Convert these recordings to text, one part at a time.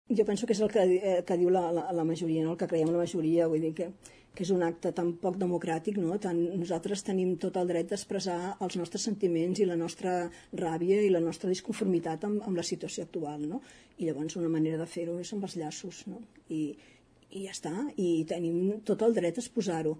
Jo penso que és el que diu la majoria, no? El que creiem la majoria, vull dir que és un acte tan poc democràtic, no? Nosaltres tenim tot el dret d'expressar els nostres sentiments i la nostra ràbia i la nostra disconformitat amb la situació actual, no? I llavors una manera de fer-ho és amb els llaços, no? I ja està, i tenim tot el dret a exposar-ho.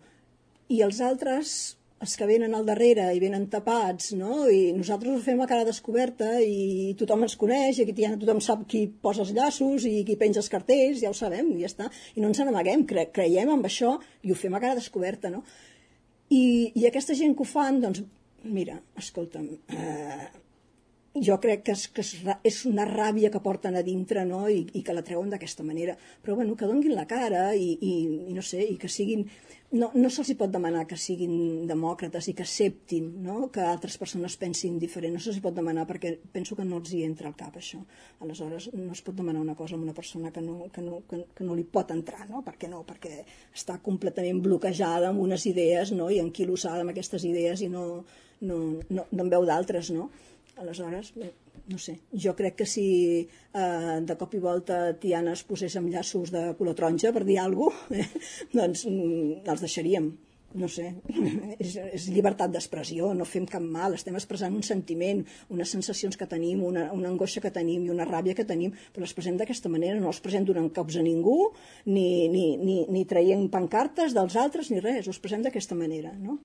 I els altres, els que venen al darrere i venen tapats, no? I nosaltres ho fem a cara descoberta i tothom ens coneix, i aquí tothom sap qui posa els llaços i qui penja els cartells, ja ho sabem, i ja està. I no ens n'amaguem, creiem en això i ho fem a cara descoberta, no? I aquesta gent que ho fan, doncs, mira, escolta'm, jo crec que és una ràbia que porten a dintre, no? I que la treuen d'aquesta manera. Però bueno, que donguin la cara i no sé, i que siguin... No se'ls pot demanar que siguin demòcrates i que acceptin, no? Que altres persones pensin diferent. No se'ls pot demanar perquè penso que no els hi entra al cap això. Aleshores no es pot demanar una cosa a una persona que no li pot entrar, no? Per què no? Perquè està completament bloquejada amb unes idees, no? I enquilosada amb aquestes idees i no en veu d'altres, no? Aleshores, no sé, jo crec que si de cop i volta Tiana es posés amb llaços de color taronja, per dir alguna cosa, doncs els deixaríem. No sé, és llibertat d'expressió, no fem cap mal, estem expressant un sentiment, unes sensacions que tenim, una angoixa que tenim i una ràbia que tenim, però l'expressem d'aquesta manera, no l'expressem donant cops a ningú, ni traient pancartes dels altres, ni res, ho expressem d'aquesta manera, no?